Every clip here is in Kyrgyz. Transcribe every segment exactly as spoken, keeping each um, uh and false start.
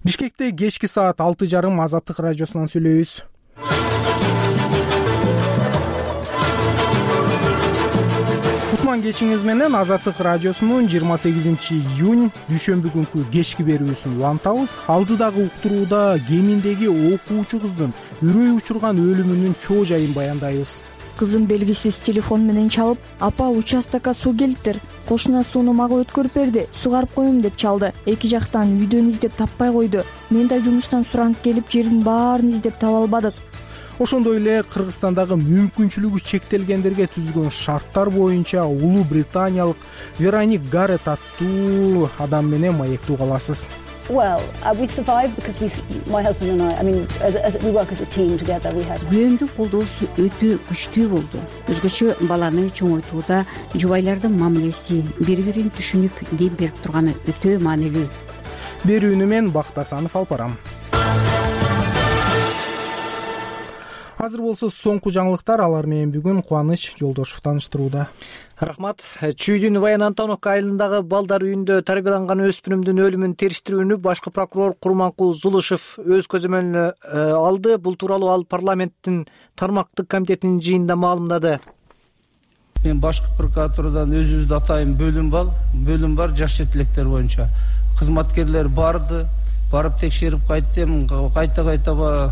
Бишкекте кечки саат алты жарым Азаттык радиосунан сүйлөйбүз. Кутман кечиңиз менен Азаттык радиосунун жыйырма сегизинчи июнь дүйшөмбү күнкү кечки берүүсүн улантабыз. Алдыдагы уктурууда Кеминдеги окуучу кыздын үрөй учурган өлүмүнүн чоо жайын баяндайбыз. Кызым белгисиз телефон менен чалып: "Апа, участокко суу келиптир. Кошуна сууну мага өткөрүп берди. Сугарып коем" деп чалды. Эки жактан үйдөн издеп таппай койду. Мен да жумуштан суранып келип, жердин баарын издеп таба албадык. Ошондой эле Кыргызстандагы мүмкүнчүлүгү чектелгендерге түзүлгөн шарттар боюнча улуу британиялык Вероник Гаррет аттуу адам менен маектүү каласыз. Well, uh, we survived because we, my husband and I, I mean, as, as we work as a team together, we had. Күйөөмдүн колдоосу өтө күчтүү болду. Өзгөчө баланы чоңойтууда жубайлардын мамилеси, бири-бирин түшүнүп дем берип турганы өтө маанилүү. Берүүнү мен Бактасанов алып барам. Азыр болсо соңку жаңылыктар, алар менен бүгүн Кубаныч Жолдошев тааныштырууда. Рахмат. Чүйдүн Баян Антоновка айылындагы балдар үйүндө тарбияланган өспүрүмдүн өлүмүн териштирүүнү башкы прокурор Курманкул Зулушев өз көзөмөлүнө алды. Бул тууралуу ал парламенттин тармактык комитетинин жыйынында маалымдады. Мен башкы прокуратурадан өзүбүздү атайын бөлүм бар, бөлүм бар жаш жетилектер боюнча. Кызматкерлер барды, барып текшерип кайттым, кайта-кайта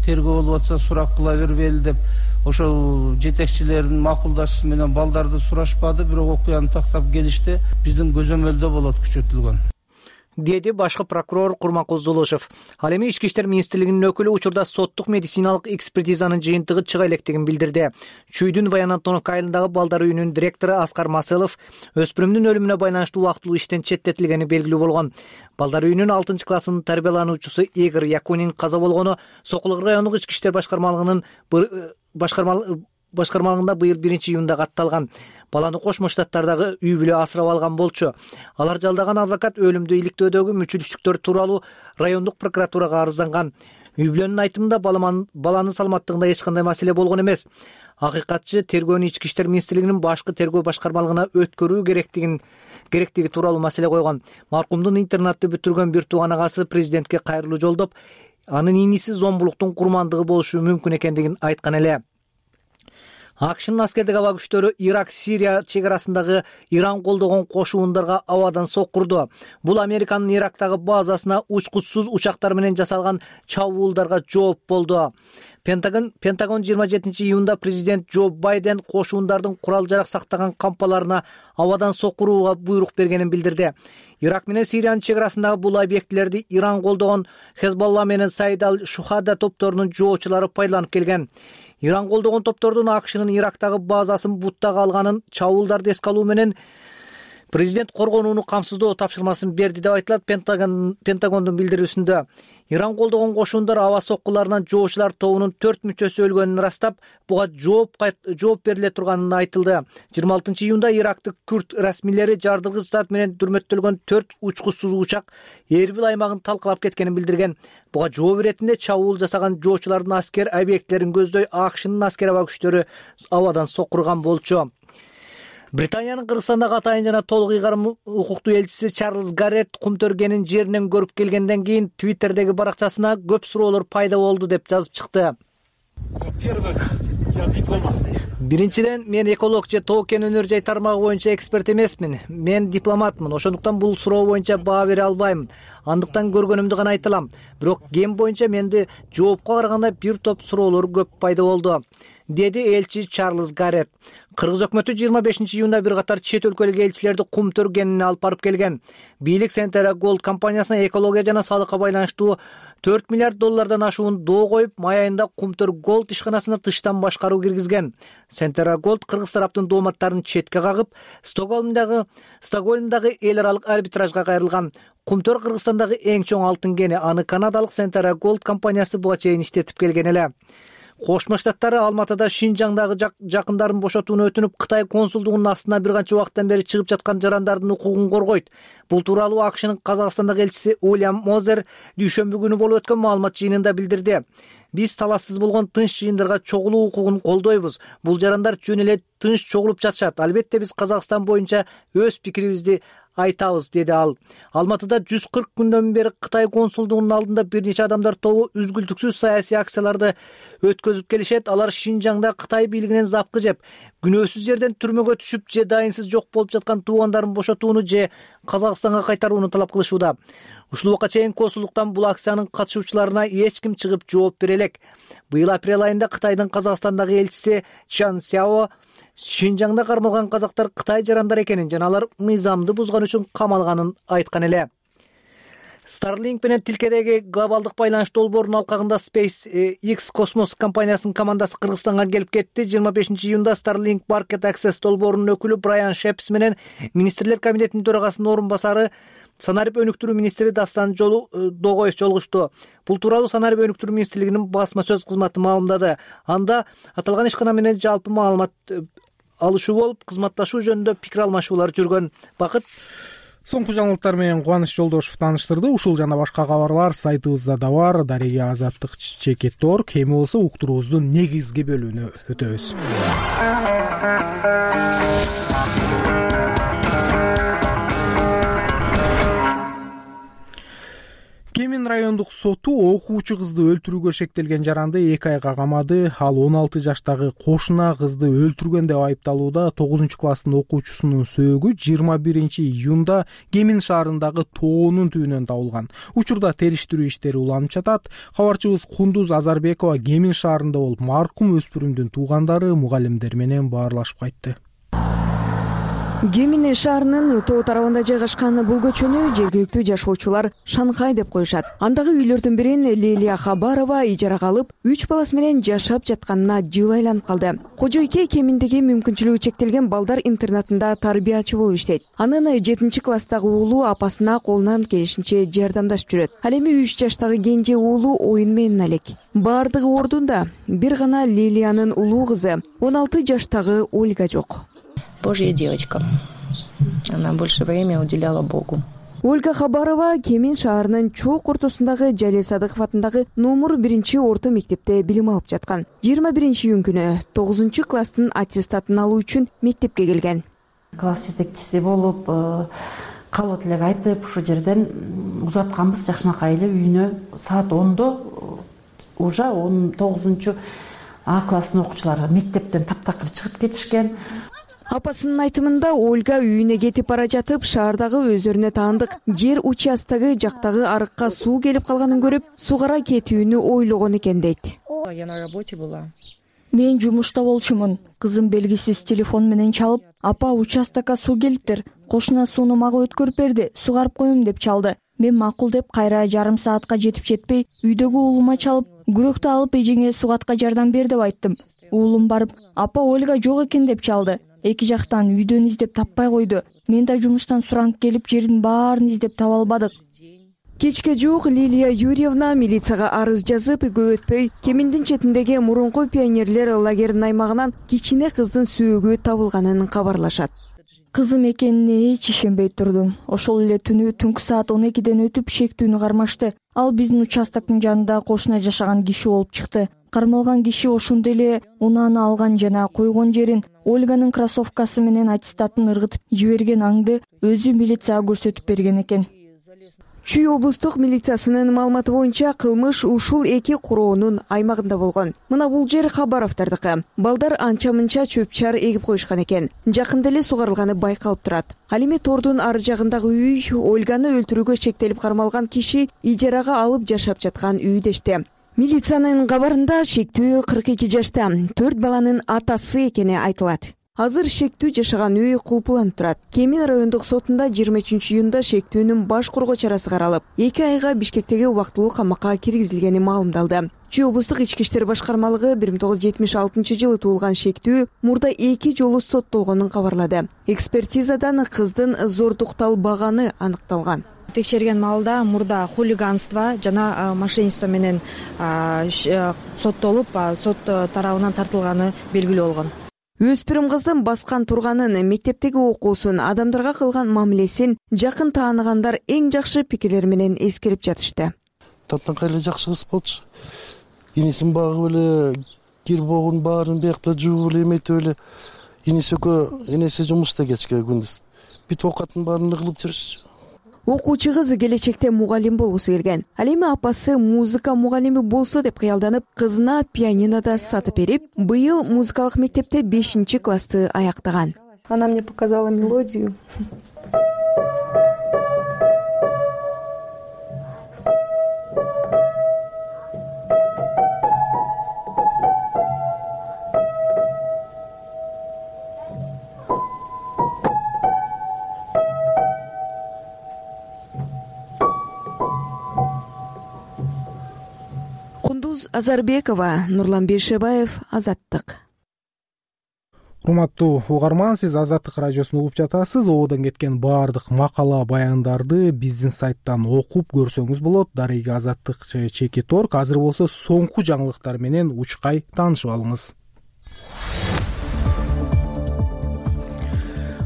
тергөө болуп атса сурак кыла бербейли деп ошол жетекчилердин макулдашуусу менен балдарды сурашпады, бирок окуяны тактап келишти. Биздин көзөмөлдө болот күчөтүлгөн, деди башкы прокурор Курманкул Зулушев. Ал эми Ички иштер министрлигинин өкүлү учурда соттук медициналык экспертизанын жыйынтыгы чыга электигин билдирди. Чүйдүн Баян Антоновка айылындагы балдар үйүнүнүн директору Аскар Маселов өспүрүмдүн өлүмүнө байланыштуу убактылуу иштен четтетилгени белгилүү болгон. Балдар үйүнүнүн алтынчы классынын тарбиялануучусу Игорь Якунин каза болгону Сокулук райондук Ички иштер башкармалыгынын башкармалыгы башкармалыгында быйыл биринчи июнда катталган. Баланы Кошмо Штаттардагы үй бүлө асырап алган болчу. Алар жалдаган адвокат өлүмдү иликтөөдөгү мүчүлүштүктөр тууралуу райондук прокуратурага арызланган. Үй бүлөнүн айтымында баланын саламаттыгында эч кандай маселе болгон эмес. Акыйкатчы тергөөнү Ички иштер министрлигинин башкы тергөө башкармалыгына өткөрүү керектигин керектиги тууралуу маселе койгон. Маркумдун интернатты бүтүргөн бир тууган агасы президентке кайрылуу жолдоп, анын иниси зомбулуктун курмандыгы болушу мүмкүн экендигин айткан эле. АКШнын аскердик аба күчтөрү Ирак-Сирия чегарасындагы Иран колдогон кошуундарга абадан соккурду. Бул Американын Ирактагы базасына учкучсуз учактар менен жасалган чабуулдарга жооп болду. Пентагон Пентагон жыйырма жетинчи июнда президент Джо Байден кошуундардын курал-жарак сактаган кампаларына абадан соккурууга буйрук бергенин билдирди. Ирак менен Сириянын чегарасындагы бул объектилерди Иран колдогон Хезболла менен Саид ал-Шухада топторунун жоочулары пайдаланып келген. Иран колдогон топтордун АКШнын Ирактагы базасын буттага алганын, чабуулдарды эске алуу менен президент коргонууну камсыздоо тапшырмасын берди деп айтылат Пентагон Пентагондун билдирүүсүндө. Иран колдогон кошуундар аба соккуларынан жоочулар тобунун төрт мүчөсү өлгөнүн ырастап, буга жооп жооп бериле турганын айтылды. жыйырма алтынчы июнда Ирактык күрд расмийлери жардыргыч зат менен дүрмөттөлгөн төрт учкучсуз учак Эрбил аймагын талкалап кеткенин билдирген. Буга жооп иретинде чабуул жасаган жоочулардын аскер объектилерин көздөй АКШнын аскер аба күчтөрү абадан соккурган болчу. Британиянын Кыргызстандагы атайын жана толук ыйгарым укуктуу элчиси Чарльз Гаррет кумтөргенин жеринен көрүп келгенден кийин Твиттердеги баракчасына көп суроолор пайда болду деп жазып чыкты. Биринчиден, мен эколог же тоо-кен өнөр жай тармагы боюнча эксперт эмесмин. Мен дипломатмын. Ошондуктан бул суроо боюнча баа бере албайм. Андыктан көргөнүмдү гана айта алам. Бирок ген боюнча менде жоопко караганда бир топ суроолор көп пайда болду, деди элчи Чарльз Гаррет. Кыргыз өкмөтү жыйырма бешинчи июнда бир катар чет өлкөлүк элчилерди кумтөр кенине алып барып келген. Бийлик Centera Gold компаниясына экология жана салыкка байланыштуу төрт миллиард доллардан ашуун доо коюп, май айында кумтөр Gold ишканасына тыштан башкаруу киргизген. Centera Gold кыргыз тараптын дооматтарын четке кагып, Стокгольмдагы Стокгольмдагы эл аралык арбитражга кайрылган. Кумтөр Кыргызстандагы эң чоң алтын кени, аны канадалык Centera Gold компаниясы буга чейин иштетип келген эле. Кошмо Штаттары Алматыда Шинжаңдагы жакындарын бошотууну өтүнүп, Кытай консулдугунун астына бир канча убакыттан бери чыгып жаткан жарандардын укугун коргойт. Бул тууралуу АКШнын Казакстандагы элчиси Уильям Мозер дүйшөмбү күнү болуп өткөн маалымат жыйынында билдирди. Биз талассыз болгон тынч жыйындарга чогулуу укугун колдойбуз. Бул жарандар жөн эле тынч чогулуп жатышат. Албетте биз Казакстан боюнча өз пикирибизди айтабыз, деди ал. Алматыда жүз кырк күндөн бери Кытай консулдугунун алдында бир нече адамдар тобу үзгүлтүксүз саясий акцияларды өткөзүп келишет. Алар Шинжаңда Кытай бийлигинен запкы жеп, күнөөсүз жерден түрмөгө түшүп же дайынсыз жок болуп жаткан туугандарын бошотууну же Казакстанга кайтарууну талап кылышууда. Ушул убакка чейин консулдуктан бул акциянын катышуучуларына эч ким чыгып жооп бере элек. Быйыл апрель айында Кытайдын Казакстандагы элчиси Чан Сяо Шинжаңда кармалган казактар Кытай жарандар экенин жана алар мыйзамды бузган үчүн камалганын айткан эле. Starlink менен тилкедеги глобалдык байланыш долбоорунун алкагында SpaceX космос компаниясынын командасы Кыргызстанга келип кетти. жыйырма бешинчи июнда Starlink Market Access долбоорунун өкүлү Брайан Шепс менен министрлер кабинетинин төрагасынын орун басары санарип өнүктүрүү министри Дастан Догоев жолугушту. Бул тууралуу санарип өнүктүрүү министрлигинин басма сөз кызматы маалымдады. Анда аталган ишкана менен жалпы маалымат алышуу болуп, кызматташуу жөнүндө пикир алмашуулар жүргөн. Бакыт. Соңку жаңылыктар менен Кубаныч Жолдошев тааныштырды. Ушул жана башка кабарлар сайтыбызда да бар. Дарега Азаттык чекит орг. Эми болсо уктуруубуздун негизги бөлүгүнө өтөбүз. Кемин райондук соту окуучу кызды өлтүрүүгө шектелген жаранды эки айга камады. Ал он алты жаштагы кошуна кызды өлтүргөн деп айыпталууда. тогузунчу класстын окуучусунун сөөгү жыйырма биринчи июнда Кемин шаарындагы тоонун түбүнөн табылган. Учурда териштирүү иштери уланып жатат. Кабарчыбыз Кундуз Азарбекова Кемин шаарында болуп, маркум өспүрүмдүн туугандары, мугалимдер менен баарлашып кайтты. Кемин шаарынын тоо тарабында жайгашкан бул көчөнү жергиликтүү жашоочулар Шанхай деп коюшат. Андагы үйлөрдүн бирин Лилия Хабарова ижарага алып, үч баласы менен жашап жатканына жыл айланып калды. Кожойке Кеминдеги мүмкүнчүлүгү чектелген балдар интернатында тарбиячы болуп иштейт. Анын жетинчи класстагы уулу апасына колунан келишинче жардамдашып жүрөт. Ал эми үч жаштагы кенже уулу оюн менен алек. Бардыгы ордунда. Бир гана Лилиянын улуу кызы он алты жаштагы Ольга жок. Божья девочка. Она больше времени уделяла Богу. Ольга Хабарова Кемин шаарынын чоок ортосундагы Жалил Садыков атындагы номер биринчи орто мектепте билим алып жаткан. жыйырма биринчи июнь күнү тогузунчу класстын аттестатын алуу үчүн мектепке келген. Класс жетекчиси болуп, каалоо тилек айтып, ушул жерден узатканбыз жакшынакай эле үйүнө. Саат ондо уже он тогузунчу А класстын окуучулары мектептен таптакыр чыгып кетишкен. Апасынын айтымында Ольга үйүнө кетип бара жатып, шаардагы өздөрүнө таандык жер участогы жактагы арыкка суу келип калганын көрүп, сугара кетүүнү ойлогон экен дейт. Я на работе была. Мен жумушта болчумун. Кызым белгисиз телефон менен чалып, апа участокко суу келиптир. Кошуна сууну мага өткөрүп берди, сугарып коем деп чалды. Мен макул деп кайра жарым саатка жетип жетпей, үйдөгү уулума чалып, күрөктү алып эжеңе сугатка жардам бер деп айттым. Уулум барып, апа Ольга жок экен деп чалды. Эки жактан үйдөн издеп таппай койду. Мен да жумуштан суранып келип, жердин баарын издеп таба албадык. Кечке жуук Лилия Юрьевна милицияга арыз жазып, көп өтпөй Кеминдин четиндеги мурунку пионерлер лагеринин аймагынан кичине кыздын сөөгү табылганын кабарлашат. Кызым экенине эч ишенбей турдум. Ошол эле түнү түнкү саат он экиден өтүп шектүүнү кармашты. Ал биздин участоктун жанында кошуна жашаган киши болуп чыкты. Кармалган киши ошондой эле унааны алган жана койгон жерин, Ольганын кроссовкасы менен аттестатын ыргытып жиберген аңды өзү милицияга көрсөтүп берген экен. Чүй облустук милициясынын маалыматы боюнча кылмыш ушул эки куроонун аймагында болгон. Мына бул жер Хабаровдардыкы. Балдар анча-мынча чөп-чар эгип коюшкан экен. Жакында эле сугарылганы байкалып турат. Ал эми тордун ары жагындагы үй Ольганы өлтүрүүгө шектелип кармалган киши ижарага алып жашап жаткан үй дешти. Милициянын кабарында шектүү кырк эки жашта төрт баланын атасы экени айтылат. Азыр шектүү жашаган үй кулпуланып турат. Кемин райондук сотунда жыйырма үчүнчү июнда шектүүнүн баш коргоо чарасы каралып, эки айга Бишкектеги убактылуу камакка киргизилгени маалымдалды. Чүй облустук ички иштер башкармалыгы бир миң тогуз жүз жетимиш алтынчы жылы туулган шектүү мурда эки жолу соттолгонун кабарлады. Экспертизадан кыздын зордукталбаганы аныкталган. Текшерген маалда мурда хулиганство жана мошенничество менен соттолуп, сот тарабынан тартылганы белгилүү болгон. Өспүрүм кыздын баскан турганын, мектептеги окуусун, адамдарга кылган мамилесин жакын тааныгандар эң жакшы пикирлер менен эскерип жатышты. Таптанкай эле жакшы кыз болчу. Инесин багып эле, кирбогун баарын биякта жууп эле, эметип эле. Инеси экөө, энеси жумушта кечке күндүз. бүтүп оокаттын баарын эле кылып жүрүшчү. Окуучу кыз келечекте мугалим болгусу келген. Ал эми апасы музыка мугалими болсо деп кыялданып, кызына пианино да сатып берип, быйыл музыкалык мектепте бешинчи классты аяктаган. Она мне показала мелодию. Кундуз Азарбекова, Нурлан Бейшебаев, Азаттык. Урматтуу угарман, сиз Азаттык радиосун угуп жатасыз. Ободон кеткен баардык макала баяндарды биздин сайттан окуп көрсөңүз болот. Дареги Азаттык чекит точка орг. Азыр болсо соңку жаңылыктар менен учкай таанышып алыңыз.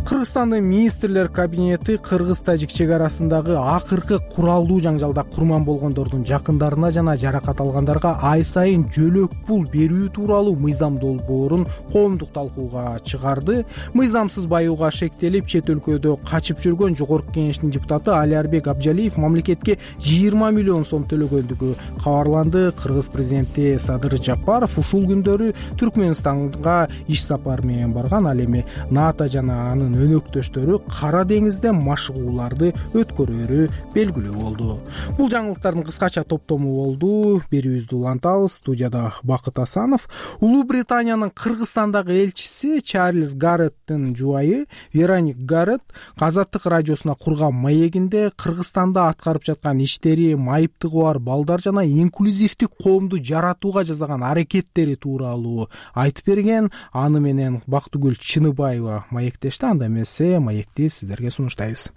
Кыргызстандын министрлер кабинети кыргыз-тажик чек арасындагы акыркы куралдуу жаңжалда курман болгондордун жакындарына жана жаракат алгандарга ай сайын жөлөк пул берүү тууралуу мыйзам долбоорун коомдук талкууга чыгарды. Мыйзамсыз баюуга шектелип чет өлкөдө качып жүргөн жогорку кеңештин депутаты Алиарбек Абжалиев мамлекетке жыйырма миллион сом төлөгөндүгү кабарланды. Кыргыз президенти Садыр Жапаров ушул күндөрү Түркмөнстанга иш сапары менен барган. Ал эми НАТО жана анын өнөктөштөрү Кара деңизде машыгууларды өткөрөөрү белгилүү болду. Бул жаңылыктардын кыскача топтому болду. Берүүбүздү улантабыз. Студияда Бакыт Асанов. Улуу Британиянын Кыргызстандагы элчиси Чарльз Гарреттин жубайы Вероник Гарретт Азаттык радиосуна курган маегинде Кыргызстанда аткарып жаткан иштери, майыптыгы бар балдар жана инклюзивдик коомду жаратууга жасаган аракеттери тууралуу айтып берген. Аны менен Бактыгүл Чыныбаева маектешти. Анда эмесе маекти сиздерге сунуштайбыз.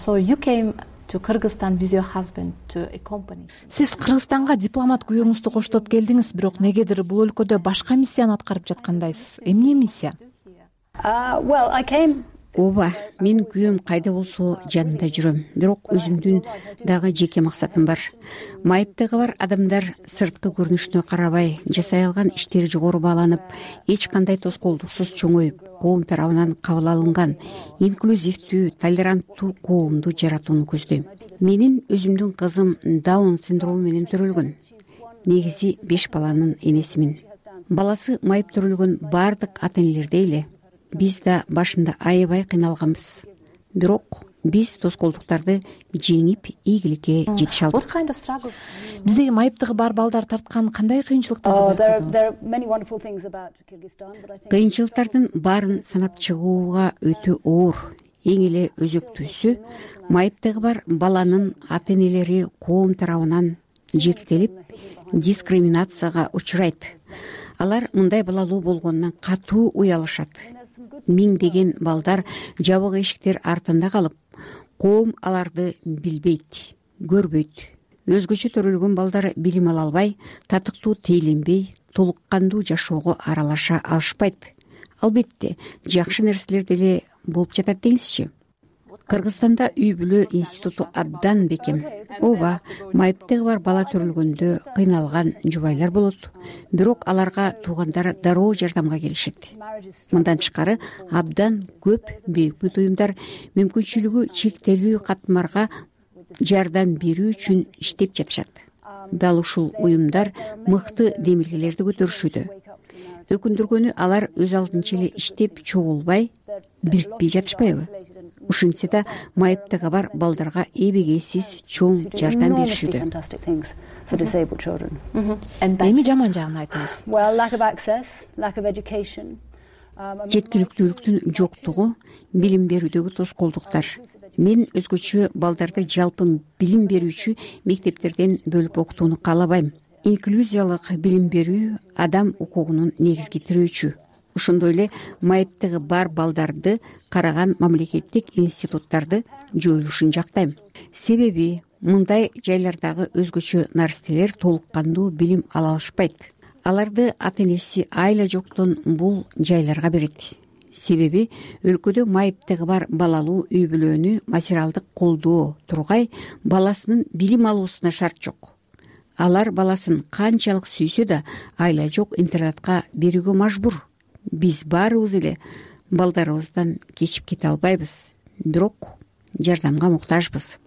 So you came to Kyrgyzstan with your husband to a company. Сиз Кыргызстанга дипломат күйөөңүздү коштоп келдиңиз, бирок негедир бул өлкөдө башка миссияны аткарып жаткандайсыз. Эмне миссия? Uh, well, I came Ооба, мен күйөөм кайда болсо жанында жүрөм. Бирок өзүмдүн дагы жеке максатым бар. Майыптыгы бар адамдар сырткы көрүнүшүнө карабай, жасай алган иштери жогору бааланып, эч кандай тоскоолдуксуз чоңоюп, коом тарабынан кабыл алынган инклюзивдүү, толеранттуу коомду жаратууну көздөйм. Менин өзүмдүн кызым Даун синдрому менен төрөлгөн. Негизи беш баланын энесимин. Баласы майып төрөлгөн баардык ата-энелердей эле биз да башында аябай кыйналганбыз. Бирок биз тоскоолдуктарды жеңип ийгиликке жетише алдык. Биздеги майыптыгы бар балдар тарткан кандай кыйынчылыктарды байкадыңыз? Кыйынчылыктардын баарын санап чыгууга өтө оор. Эң эле өзөктүүсү майыптыгы бар баланын ата-энелери коом тарабынан жектелип, дискриминацияга учурайт. Алар мындай балалуу болгонунан катуу уялышат. Миңдеген балдар жабык эшиктер артында калып, коом аларды билбейт, көрбөйт. Өзгөчө төрөлгөн балдар билим ала албай, татыктуу тейленбей, толук кандуу жашоого аралаша алышпайт. Албетте, жакшы нерселер деле болуп жатат деңизчи. Кыргызстанда үй бүлө институту абдан бекем. Ооба, майыптыгы бар бала төрөлгөндө кыйналган жубайлар болот. Бирок аларга туугандары дароо жардамга келишет. Мындан тышкары абдан көп бейөкмөт уюмдар мүмкүнчүлүгү чектелүү катмарга жардам берүү үчүн иштеп жатышат. Дал ушул уюмдар мыкты демилгелерди көтөрүшүүдө. Өкүндүргөнү алар өз алдынча эле иштеп чогулбай, бирикпей жатышпайбы? Ушинтсе да майыптыгы бар балдарга эбегейсиз чоң жардам беришүүдө. Эми жаман жагын айтыңыз. Жеткиликтүүлүктүн жоктугу, билим берүүдөгү тоскоолдуктар. Мен өзгөчө балдарды жалпы билим берүүчү мектептерден бөлүп окутууну каалабайм. Инклюзиялык билим берүү адам укугунун негизги тирөөчү. Ошондой эле майыптыгы бар балдарды караган мамлекеттик институттарды жоюлушун жактайм. Себеби мындай жайлардагы өзгөчө нарселер толук кандуу билим ала алышпайт. Аларды ата-энеси айла жоктон бул жайларга берет. Себеби өлкөдө майыптыгы бар балалуу үй бүлөнү материалдык колдоо тургай баласынын билим алуусуна шарт жок. Алар баласын канчалык сүйсө да айла жок интернатка берүүгө мажбур. Биз баарыбыз эле балдарыбыздан кечип кете албайбыз. бирок жардамга муктажбыз.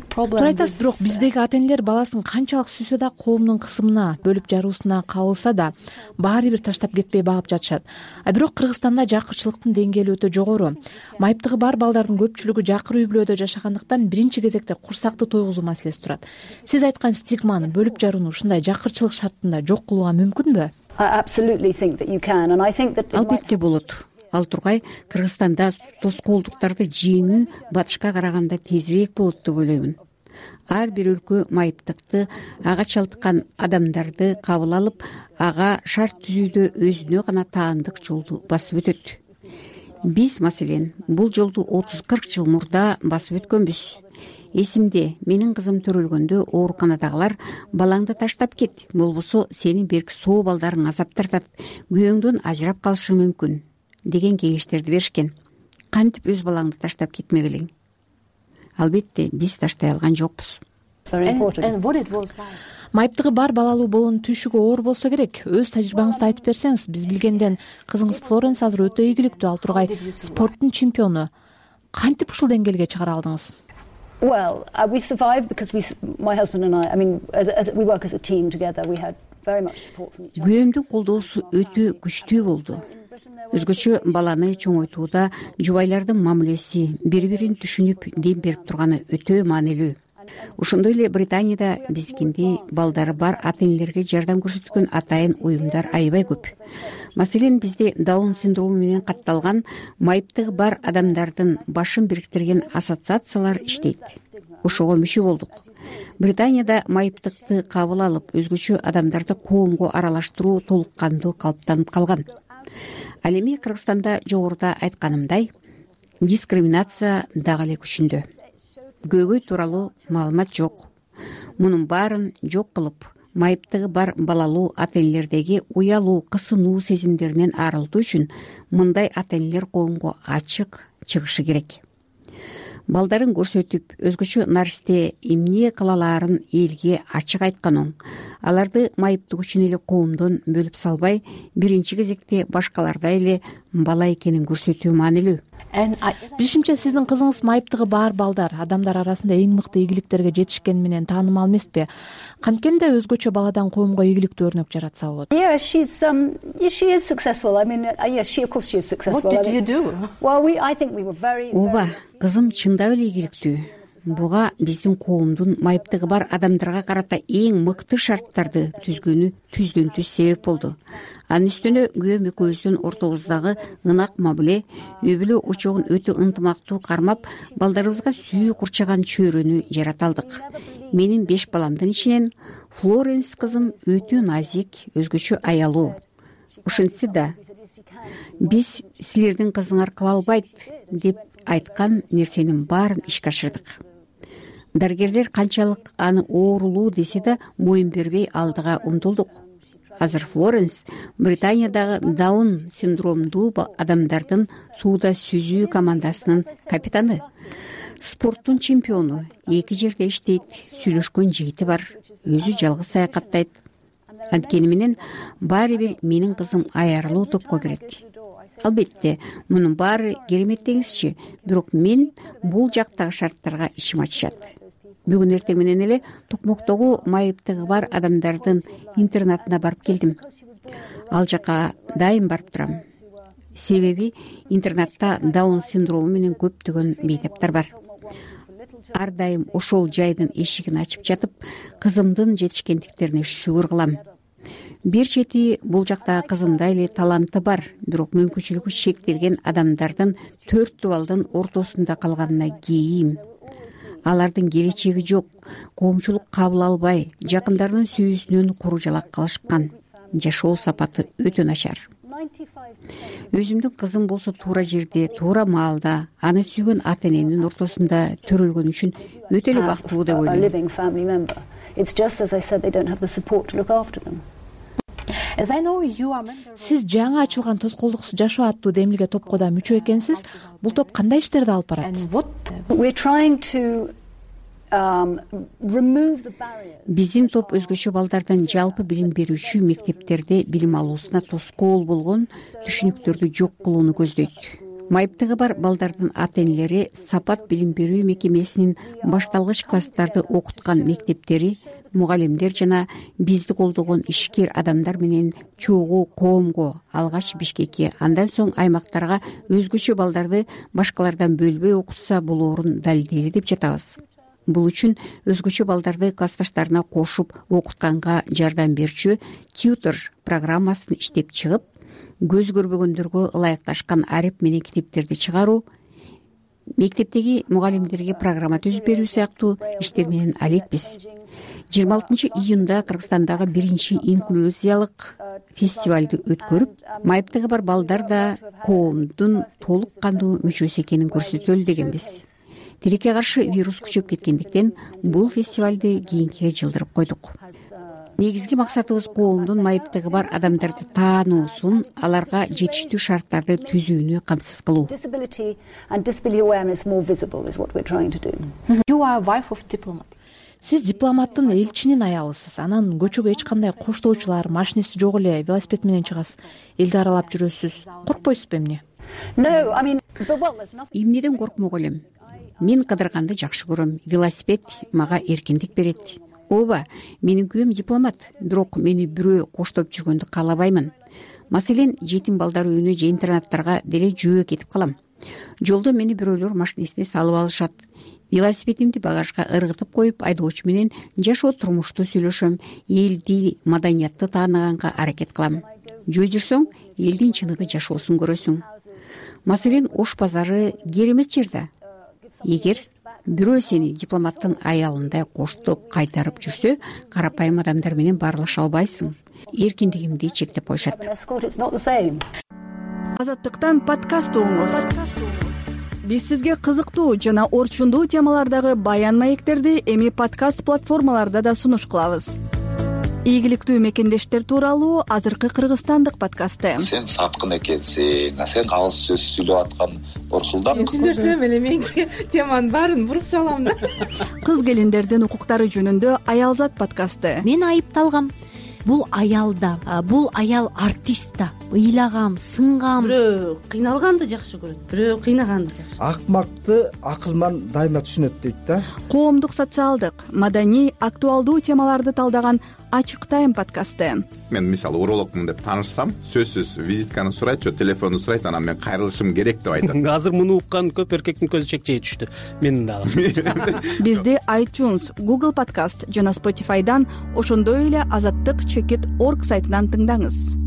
туура айтасыз, бирок биздеги ата энелер баласын канчалык сүйсө да, коомдун кысымына, бөлүп жаруусуна кабылса да баары бир таштап кетпей багып жатышат. А бирок Кыргызстанда жакырчылыктын деңгээли өтө жогору. Майыптыгы бар балдардын көпчүлүгү жакыр үй бүлөдө жашагандыктан биринчи кезекте курсакты тойгузуу маселеси турат. Сиз айткан стигманы, бөлүп жарууну ушундай жакырчылык шартында жок кылууга мүмкүнбү? Албетте болот. Ал тургай Кыргызстанда тоскоолдуктарды жеңүү батышка караганда тезирээк болот деп ойлоймун. Ар бир өлкө майыптыкты, ага чалдыккан адамдарды кабыл алып, ага шарт түзүүдө өзүнө гана таандык жолду басып өтөт. Биз, маселен, бул жолду отуз кырк жыл мурда басып өткөнбүз. Эсимде, менин кызым төрөлгөндө ооруканадагылар балаңды таштап кет, болбосо сени берки соо балдарың азап тартат, күйөөңдөн ажырап калышы мүмкүн деген кеңештерди беришкен. Кантип өз балаңды таштап кетмегилең? Албетте, биз таштай алган жокпуз. Майыптыгы бар балалуу болуунун түйшүгү оор болсо керек. Өз тажрыйбаңызды айтып берсеңиз. Биз билгенден кызыңыз Флоренс азыр өтө ийгиликтүү, ал тургай спорттун чемпиону. Кантип ушул деңгээлге чыгара алдыңыз? Well, uh, we survived because we, my husband and I, I mean, as, as we work as a team together, we had very much support from each other. Күйөөмдүн колдоосу өтө күчтүү болду. Өзгөчө баланы чоңойтууда жубайлардын мамилеси, бири-бирин түшүнүп дем берип турганы өтө маанилүү. Ошондой эле Британияда биздикиндей балдары бар ата энелерге жардам көрсөткөн атайын уюмдар аябай көп. Маселен, бизде Даун синдрому менен катталган майыптыгы бар адамдардын башын бириктирген ассоциациялар иштейт. Ошого мүчө болдук. Британияда майыптыкты кабыл алып, өзгөчө адамдарды коомго аралаштыруу толук кандуу калыптанып калган. Ал эми Кыргызстанда жогоруда айтканымдай, дискриминация дагы эле күчүндө. Көйгөй тууралуу маалымат жок. Мунун баарын жок кылып, майыптыгы бар балалуу ата энелердеги уялуу, кысынуу сезимдеринен арылтуу үчүн мындай ата энелер коомго ачык чыгышы керек. Балдарын көрсөтүп, өзгөчө наристе эмне кылалаарын элге ачык айткан оң. Аларды майыптык үчүн эле коомдон бөлүп салбай, биринчи кезекте башкалардай эле бала экенин көрсөтүү маанилүү. Билишимче, сиздин кызыңыз майыптыгы бар балдар, адамдар арасында эң мыкты ийгиликтерге жетишкени менен таанымал эмеспи? Канткенде өзгөчө баладан коомго ийгиликтүү өрнөк жаратса болот. Yeah, she's um she is successful. I mean, uh, yes, she of course she is successful. What did you do? Well, we I think we were very Ооба, кызым чындап эле ийгиликтүү. Буга биздин коомдун майыптыгы бар адамдарга карата эң мыкты шарттарды түзгөнү түздөн түз себеп болду. Анын үстүнө күйөөм экөөбүздүн ортобуздагы ынак мамиле, үй бүлө очогун өтө ынтымактуу кармап, балдарыбызга сүйүү курчаган чөйрөнү жарата алдык. Менин беш баламдын ичинен Флоренс кызым өтө назик, өзгөчө аялуу. Ошентсе да, биз силердин кызыңар кыла албайт деп айткан нерсенин баарын ишке ашырдык. Дарыгерлер канчалык аны оорулуу десе да моюн бербей алдыга умтулдук. Азыр Флоренс Британиядагы Даун синдромдуу адамдардын сууда сүзүү командасынын капитаны. Спорттун чемпиону, эки жерде иштейт, сүйлөшкөн жигити бар, өзү жалгыз саякаттайт. Анткени менен баары бир менин кызым аярлуу топко кирет. Албетте, мунун баары керемет деңизчи, бирок мен бул жактагы шарттарга ичим ачышат. Бүгүн эртең менен эле Токмоктогу майыптыгы бар адамдардын интернатына барып келдим. Ал жака дайым барып турам. Себеби интернатта Даун синдрому менен көптөгөн бейтаптар бар. Ар дайым ошол жайдын эшигин ачып жатып, кызымдын жетишкендиктерине шүгүр кылам. Бир чети бул жакта кызымдай эле таланты бар, бирок мүмкүнчүлүгү чектелген адамдардын төрт дубалдын ортосунда калганына кейим. Алардын келечеги жок, коомчулук кабыл албай, жакындарынын сүйүүсүнөн куру жалак калышкан. Жашоо сапаты өтө начар. Өзүмдүн кызым болсо туура жерде, туура маалда, аны сүйгөн ата эненин ортосунда төрөлгөн үчүн өтө эле бактылуу деп ойлойм. Сиз жаңы ачылган тоскоолдуксуз жашоо аттуу демилге топко да мүчө экенсиз. Бул топ кандай иштерди алып барат? Биздин топ өзгөчө балдардан жалпы билим берүүчү мектептерде билим алуусуна тоскоол болгон түшүнүктөрдү жок кылууну көздөйт. майыптыгы бар балдардын ата энелери сапат билим берүү мекемесинин башталгыч класстарды окуткан мектептери, мугалимдер жана бизди колдогон ишкер адамдар менен чогуу коомго, алгач Бишкекке, андан соң аймактарга өзгөчө балдарды башкалардан бөлбөй окутса болоорун далилдейли деп жатабыз. Бул үчүн өзгөчө балдарды классташтарына кошуп окутканга жардам берчү тьютор программасын иштеп чыгып, көз көрбөгөндөргө ылайыкташкан ареп менен китептерди чыгаруу, мектептеги мугалимдерге программа түзүп берүү сыяктуу иштер менен алекпиз. жыйырма алтынчы июнда Кыргызстандагы биринчи инклюзиялык фестивалды өткөрүп, майыптыгы бар балдар да коомдун толук кандуу мүчөсү экенин көрсөтөлү дегенбиз. Тилекке каршы вирус күчөп кеткендиктен бул фестивалды кийинкиге жылдырып койдук. Негизги максатыбыз коомдун майыптыгы бар адамдарды таануусун, аларга жетиштүү шарттарды түзүүнү камсыз кылуу. You are wife of diplomat. Сиз дипломаттын элчинин аялысыз. Анан көчөгө эч кандай коштоочулар, машинеси жок эле велосипед менен чыгасыз. Элди аралап жүрөсүз. Коркпойсузбу эмне? Эмнеден коркмок элем? Мен кыдырганды жакшы көрөм. Велосипед мага эркиндик берет. Ооба, менин күйөөм дипломат, бирок мени бирөө коштоп жүргөндү каалабаймын. Маселен, жетим балдар үйүнө же интернаттарга деле жөө кетип калам. Жолдо мени бирөөлөр машинесине салып алышат. Велосипедимди багажга ыргытып коюп, айдоочу менен жашоо турмушту сүйлөшөм, элди, маданиятты тааныганга аракет кылам. Жөө жүрсөң, элдин чыныгы жашоосун көрөсүң. Маселен, Ош базары керемет жер да. Эгер бирөө сени дипломаттын аялындай коштоп кайтарып жүрсө, карапайым адамдар менен баарлаша албайсың. Эркиндигимди чектеп коюшат. Азаттыктан подкаст угуңуз. Биз сизге кызыктуу жана орчундуу темалардагы баян маектерди эми подкаст платформаларда да сунуш кылабыз. Ийгиликтүү мекендештер тууралуу азыркы кыргызстандык подкасты. Сен саткын экенсиң, сен калыс сөз сүйлөп аткан Борсулдан. Мен сүйлөсөм эле менин теманын баарын буруп салам да. Кыз келиндердин укуктары жөнүндө Аялзат подкасты. Мен айыпталгам. Бул аял да, бул аял артист да. Ыйлагам, сынгам. Бирөө кыйналганды жакшы көрөт, бирөө кыйнаганды жакшы. Акмакты акылман дайыма түшүнөт дейт да. Коомдук, социалдык, маданий, актуалдуу темаларды талдаган Ачык тайм подкасты. Мен мисалы урологмун деп таанышсам, сөзсүз визитканы сурайт, телефонду сурайт, анан мен кайрылышым керек деп айтат. Азыр муну уккан көп эркектин көзү чекчей түштү. Менин дагы. Бизди iTunes, Google Podcast жана Spotify'дан, ошондой эле азаттык чекит точка орг сайтынан тыңдаңыз.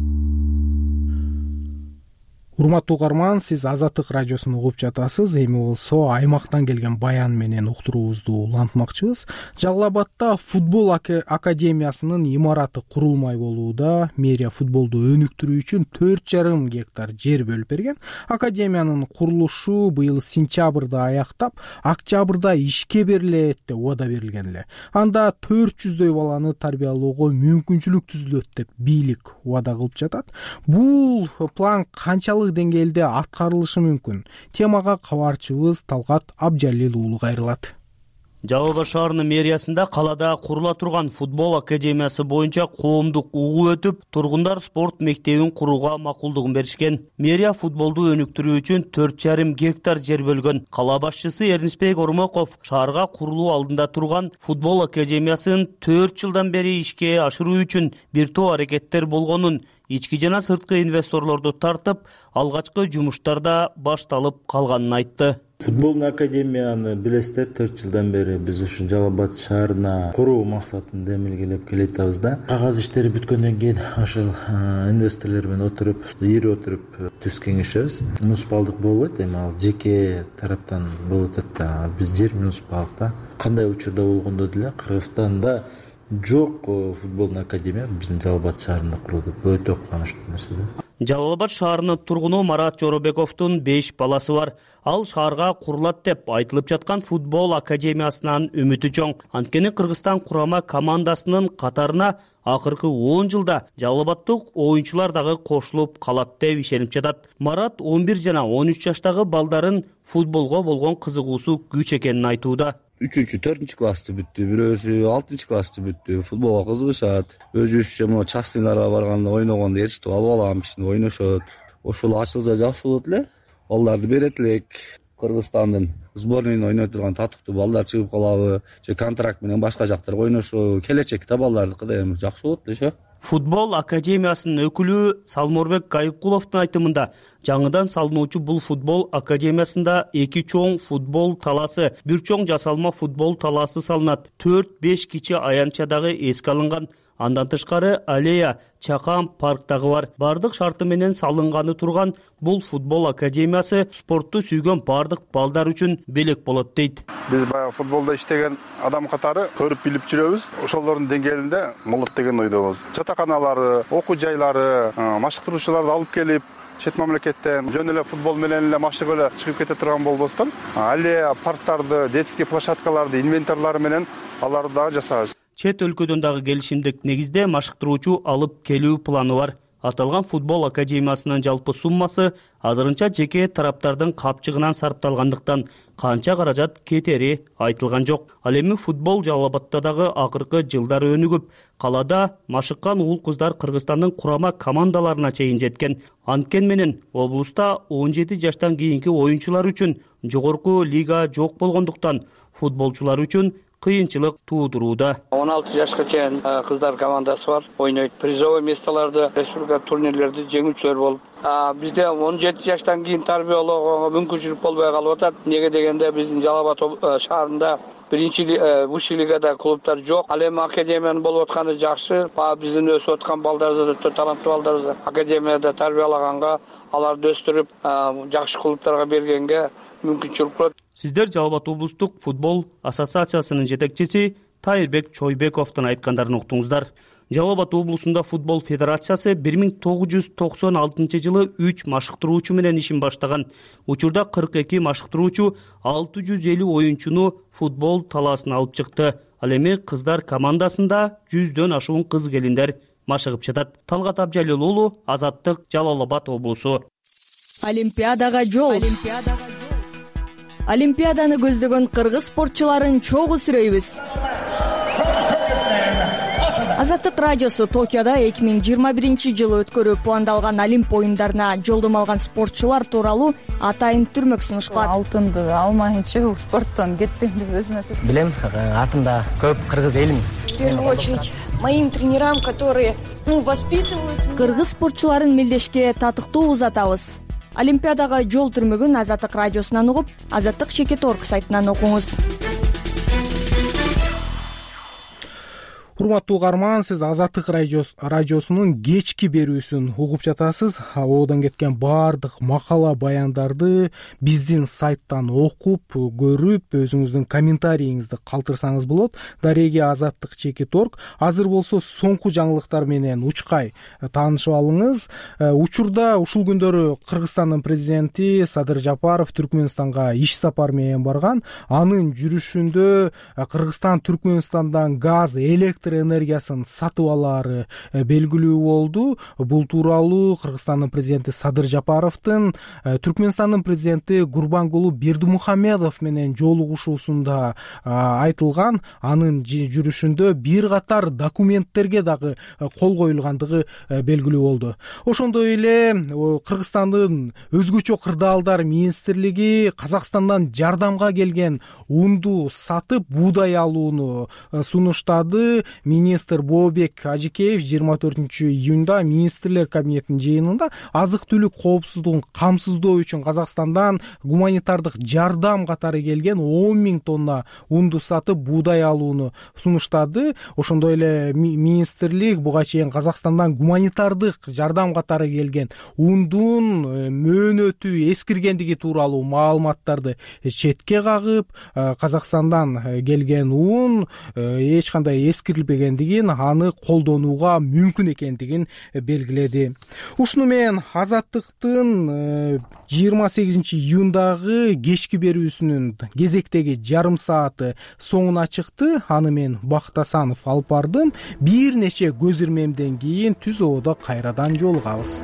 Урматтуу угарман, сиз Азаттык радиосун угуп жатасыз. Эми болсо аймактан келген баян менен уктуруубузду улантмакчыбыз. Жалал Абадда футбол академиясынын имараты курулмай болууда. Мэрия футболду өнүктүрүү үчүн төрт жарым гектар жер бөлүп берген. Академиянын курулушу быйыл сентябрда аяктап, октябрда ишке берилет деп убада берилген эле. Анда төрт жүздөй баланы тарбиялоого мүмкүнчүлүк түзүлөт деп бийлик убада кылып жатат. Бул план канчалык деңгээлде аткарылышы мүмкүн? Темага кабарчыбыз Талгат Абжалил уулу кайрылат. Жалал Абад шаарынын мэриясында калада курула турган футбол академиясы боюнча коомдук угуу өтүп, тургундар спорт мектебин курууга макулдугун беришкен. Мэрия футболду өнүктүрүү үчүн төрт жарым гектар жер бөлгөн. Кала башчысы Эрнисбек Ормоков шаарга курулуу алдында турган футбол академиясын төрт жылдан бери ишке ашыруу үчүн бир топ аракеттер болгонун, ички жана сырткы инвесторлорду тартып, алгачкы жумуштарда башталып калганын айтты. Футболдун академияны билесиздер, төрт жылдан бери биз ушу Жалал Абад шаарына куруу максатында эмелгелеп келатабыз да. Кагаз иштери бүткөндөн кийин ошол инвесторлор менен отуруп, ири отуруп түз кеңешебиз. Муниципалдык болбойт, эми ал жеке тараптан болуп атат да. Биз жер муниципалдыкта кандай учурда болгондо деле Кыргызстанда жок футболдун академия биздин Жалал Абад шаарында курулду. Бул өтө кубанычтуу нерсе да. Жалал Абад шаарынын тургуну Марат Жоробековдун беш баласы бар. Ал шаарга курулат деп айтылып жаткан футбол академиясынан үмүтү чоң. Анткени Кыргызстан курама командасынын катарына акыркы он жылда Жалал Абадтык оюнчулар дагы кошулуп калат деп ишенип жатат. Марат он бир жана он үч жаштагы балдарын футболго болгон кызыгуусу күч экенин айтууда. үчүнчү, төртүнчү классты бүттү, бирөөсү алтынчы классты бүттү. Футболго кызыгышат. Өзүбүзчө могу частныйларга барганда ойногондо ээрчитип алып алам, кичине ойношот. Ошол ачылса жакшы болот эле. балдарды берет элек. Кыргызстандын сборныйын ойной турган татыктуу балдар чыгып калабы же контракт менен башка жактарга ойношобу, келечекте балдардыкы да эми жакшы болот деши. Футбол академиясынын өкүлү Салморбек Гайыпкуловдун айтымында, жаңыдан салынуучу бул футбол академиясында эки чоң футбол талаасы, бир чоң жасалма футбол талаасы салынат. төрт беш кичи аянтчадагы эске алынган. Андан тышкары аллея, чакан, парк дагы бар. Бардык шарты менен салынганы турган бул футбол академиясы спортту сүйгөн бардык балдар үчүн белек болот дейт. Биз баягы футболдо иштеген адам катары көрүп билип жүрөбүз. Ошолордун деңгээлинде болот деген ойдобуз. Жатаканалары, окуу жайлары, машыктыруучуларды алып келип чет мамлекеттен жөн эле футбол менен эле машыгып эле чыгып кете турган болбостон, аллея, парктарды, детский площадкаларды, инвентарлары менен аларды дагы жасайбыз. Чет өлкөдөн дагы келишимдик негизде машыктыруучу алып келүү планы бар. Аталган футбол академиясынын жалпы суммасы азырынча жеке тараптардын капчыгынан сарпталгандыктан канча каражат кетери айтылган жок. Ал эми футбол Жалал Абадта дагы акыркы жылдары өнүгүп, калада машыккан уул кыздар Кыргызстандын курама командаларына чейин жеткен. Анткени менен облуста он жети жаштан кийинки оюнчулар үчүн жогорку лига жок болгондуктан футболчулар үчүн кыйынчылык туудурууда. он алты жашка чейин кыздар командасы бар, ойнойт. Призовый местолорду, республика турнирлерди жеңүүчүлөр болуп. Бизде он жети жаштан кийин тарбиялоого мүмкүнчүлүк болбой калып атат. Неге дегенде биздин Жалал Абад шаарында биринчи высший лигада клубтар жок. Ал эми академиянын болуп атканы жакшы. Биздин өсүп аткан балдарыбызды, таланттуу балдарыбызды академияда тарбиялаганга, аларды өстүрүп, жакшы клубтарга бергенге мүмкүнчүлүк болот. Сиздер Жалал Абад облустук футбол ассоциациясынын жетекчиси Тайырбек Чойбековдун айткандарын уктуңуздар. Жалал Абад облусунда футбол федерациясы бир миң тогуз жүз токсон алтынчы жылы үч машыктыруучу менен ишин баштаган. Учурда кырк эки машыктыруучу алты жүз элүү оюнчуну футбол талаасына алып чыкты. Ал эми кыздар командасында жүздөн ашуун кыз келиндер машыгып жатат. Талгат Абжалил уулу, Азаттык, Жалал Абад облусу. Олимпиадага жол. Олимпиаданы көздөгөн кыргыз спортчуларын чогуу сүрөйбүз. Азаттык радиосу Токиодо эки миң жыйырма биринчи жылы өткөрүү пландалган Олимп оюндарына жолдомо алган спортчулар тууралуу атайын түрмөк сунушталат. Алтынды алмайынча бул спорттон кетпейм деп өзүмө сөз. Билем, артымда көп кыргыз элим. В первую очередь моим тренерам, которые воспитывают. Кыргыз спортчуларын мелдешке татыктуу узатабыз. Олимпиадага жол түрмөгүн Азаттык радиосунан угуп, Азаттык чекит орг сайтынан окуңуз. Урматтуу угарман, сиз Азаттык радиосунун кечки берүүсүн угуп жатасыз. Оодон кеткен баардык макала баяндарды биздин сайттан окуп, көрүп, өзүңүздүн комментарийиңизди калтырсаңыз болот. Дареги Азаттык чекит орг. Азыр болсо соңку жаңылыктар менен учкай таанышып алыңыз. Учурда ушул күндөрү Кыргызстандын президенти Садыр Жапаров Түркмөнстанга иш сапар менен барган. Анын жүрүшүндө Кыргызстан Түркмөнстандан газ, электр энергиясын сатып алаары белгилүү болду. Бул тууралуу Кыргызстандын президенти Садыр Жапаровдун Түркмөнстандын президенти Гурбангулу Бердимухамедов менен жолугушуусунда айтылган. Анын жүрүшүндө бир катар документтерге дагы кол коюлгандыгы белгилүү болду. Ошондой эле Кыргызстандын өзгөчө кырдаалдар министрлиги Казакстандан жардамга келген унду сатып буудай алууну сунуштады. Министр Бообек Ажикеев жыйырма төртүнчү июнда министрлер кабинетинин жыйынында азык-түлүк коопсуздугун камсыздоо үчүн Казакстандан гуманитардык жардам катары келген он миң тонна унду сатып буудай алууну сунуштады. Ошондой эле министрлик буга чейин Казакстандан гуманитардык жардам катары келген ундун мөөнөтү эскиргендиги тууралуу маалыматтарды четке кагып, Казакстандан келген ун эч кандай эскирилбегендигин, аны колдонууга мүмкүн экендигин белгиледи. Ушуну менен Азаттыктын жыйырма сегизинчи июндагы кечки берүүсүнүн кезектеги жарым сааты соңуна чыкты. Аны мен Бакыт Асанов алып бардым. Бир нече көз ирмемден кийин түз ободо кайрадан жолугабыз.